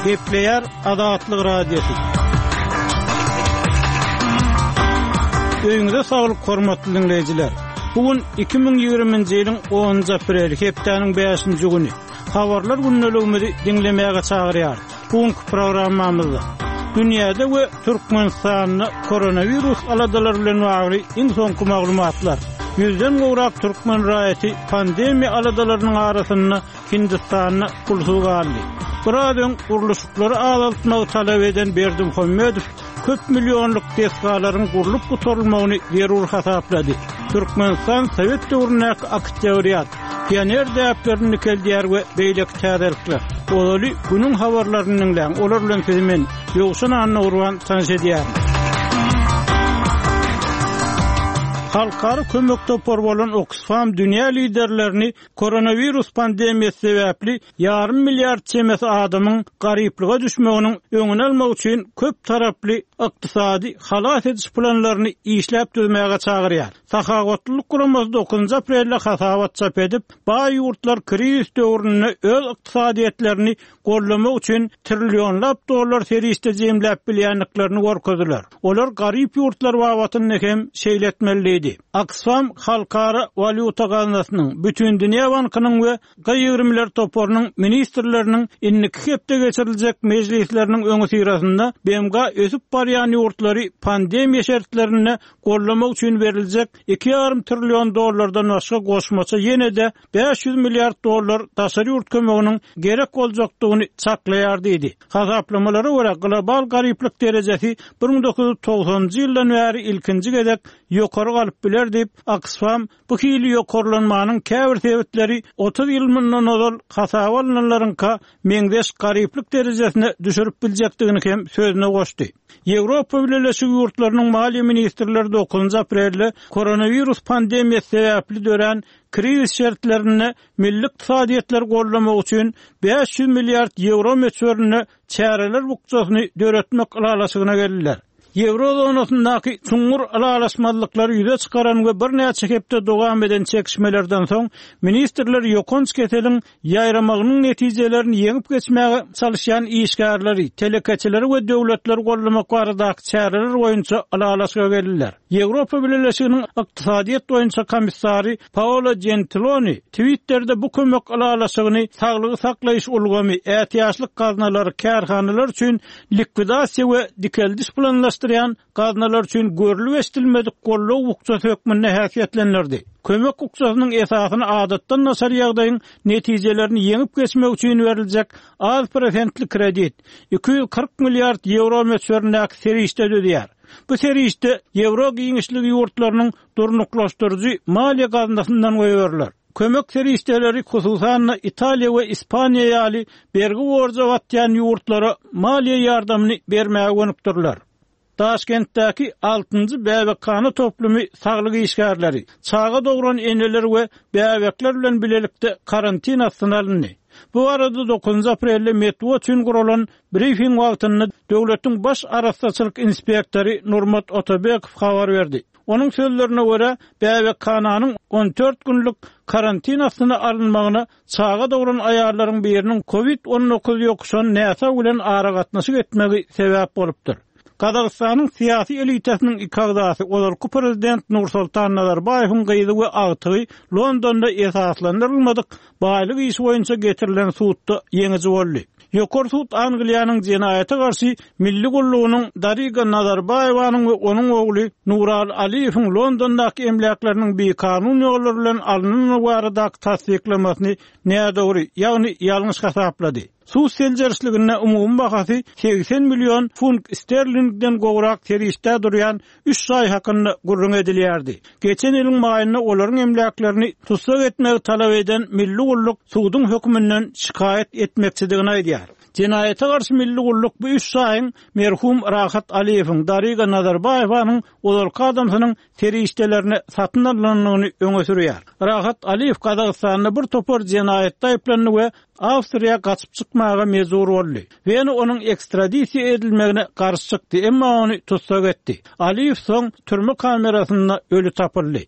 Gepleýär Azatlyk Radiosy. Öýüňize saglyk hormatly diňleýjiler. Bu gün 2020-nji ýylyň 10-njy apreli, hepdäniň 5-nji güni. Habarlar gündeligimizi diňlemäge çagyrýarys. Bu günki programmamyzda dünýäde we Türkmenistanda koronawirus aladalary bilen bagly iň soňky maglumatlar, ýüzden gowrak türkmen raýaty pandemiýa aladalarynyň arasynda Hindistanda pulsuz galdy. Biraz öň gurluşyklary azaltmagy talap eden Berdimuhamedow köp millionlyk desgalaryň gurlup gutarylmagyny zerur hasaplady. Türkmenistan sowet döwründäki oktýabrýat, pioner däplerini dikeldýär we beýleki täzelikler. Ozaly günüň habarlaryny diňläň, olar bilen sizi men, Ýowşan Annagurban tanyş edýärin. Halkara kömek topary bolan Oksfam dünýä liderlerini Koronawirus pandemiýasy sebäpli ýarym milliard çemesi adamyň garyplyga düşmeginiň öňüni almak üçin köp taraply ykdysady halas ediş planlaryny işläp düzmäge çagyrýar. Sahawatlylyk guramasy dokuzynjy aprelde hasabat çap edip, baý ýurtlar krizis döwründe öz ykdysadyýetlerini goldamak üçin trillionlap dollar serişde jemläp bilýändiklerini görkezdiler. Olar garyp ýurtlar babatynda hem şeýle etmeli diýdi. Oksfam Halkara walýuta gaznasynyň, Bütindünýä bankynyň we G-ýigrimiler toparynyň ministrleriniň indiki hepde geçiriljek mejlisleriniň öňüsyrasynda BMG ösüp barýan ýurtlary pandemiýa şertlerinde goldamak üçin beriljek iki ýarym trillion dollardan başga goşmaça ýene-de 500 milliard dollar daşary ýurt kömeginiň gerek boljakdygyny çaklaýar diýdi. Hasaplamalara görä, global garyplyk derejesi 1990-njy ýyldan bäri ilkinji gezek ýokary galyp biler diýip, Oksfam bu hili ýokarlanmanyň käbir sebitleri 30 ýyl mundan ozal hasaba alnanlaryňka meňzeş garyplyk derejesine düşürip biljekdigini hem sözüne goşdy. Ýewropa Bileleşigi ýurtlarynyň maliýe ministrleri dokuzynjy aprelde koronawirus pandemiýasy sebäpli dörän Krizis şertlerinde milli ykdysadyýetleri goldamak üçin 500 milliard ýewro möçberinde çäreler bukjasyny döretmek ylalaşygyna geldiler. Ýewro zonasyndaky çuňňur ylalaşmazlyklary ýüze çykaran we birnäçe hepde dowam eden çekişmelerden soň, ministrler ýokanç keseliň ýaýramagynyň netijelerini ýeňip geçmäge çalyşýan işgärleri, telekeçileri we döwletleri goldamak baradaky çäreler boýunça ylalaşyga geldiler. Ýewropa Bileleşiginiň ykdysadyýet boýunça komissary Paolo Jentiloni Twitterde bu kömek ylalaşygyny saglygy saklaýyş ulgamy, ätiýaçlyk gaznalary, kärhanalar üçin likwidasiýa we dikeldiş planlaşdyrýan gaznalar üçin görlüp-eşidilmedik goldaw bukjasy hökmünde häsiýetlendirdi. Kömek bukjasynyň esasyny adatdan daşary ýagdaýyň netijelerini ýeňip geçmek üçin beriljek az prosentli kredit, 240 milliard ýewro möçberindäki serişde düzýär. Bu serişde ýewro giňişligi ýurtlarynyň durnuklaşdyryjy maliýe gaznasyndan goýberiler. Kömek serişdeleri, hususan-da, Italiýa we Ispaniýa ýaly bergi-borja batýan ýurtlara maliýe ýardamyny bermäge gönükdiriler. Daşkentdäki altynjy bäbekhana toplumy saglyk işgärleri, çaga dogran eneler we bäbekler bilen bilelikde karantin astyna alyndy. Bu barada dokuzynjy aprelde metbugat üçin guralan brifing wagtynda döwletiň baş arassaçylyk inspektory Nurmat Otabekow habar berdi. Onuň sözlerine görä, bäbekhananyň 14 günlük karantin astyna alynmagyna çaga dogran aýallaryň biriniň covid 19 ýokuşan näsag bilen aragatnaşyk etmegi sebäp bolupdyr. Gazagystanyň syýasy elitasynyň iki agzasy, ozalky prezident Nursultan Nazarbaýewiň gyzy we agtygy Londonda esaslandyrylmadyk baýlyk işi boýunça getirilen sudda ýeňiji boldy. Ýokary sud Angliýanyň jenaýata garşy milli gullugynyň Dariga Nazarbaýewanyň we onuň ogly Nuraly Aliýewiň Londondaky emläkleriniň bikanun ýollar bilen alnandygy baradaky tassyklamasyny nädogry, ýagny ýalňyş hasaplady. Sud seljerişliginde umumy bahasy 80 million funt sterlingden gowrak serişdä durýan üç jaý hakynda gürrüň edilýärdi. Geçen ýylyň maýynda olaryň emläklerini tussag etmegi talap eden Milli gulluk suduň höküminden şikaýat etmekçidigini aýdýar. Jenaýata garşy Milli gulluk bu üç jaýyň merhum Rahat Aliýewiň, Dariga Nazarbaýewanyň ozalky adamsynyň serişdelerine satyn alnandygyny öňe sürýär. Rahat Aliýew Gazagystanda bir topar jenaýatda aýyplandy we Awstriýa gaçyp çykmaga mejbur boldy. Wena onuň ekstradisiýa edilmegine garşy çykdy, emma ony tussag etdi. Aliýew soň türme kamerasynda öli tapyldy.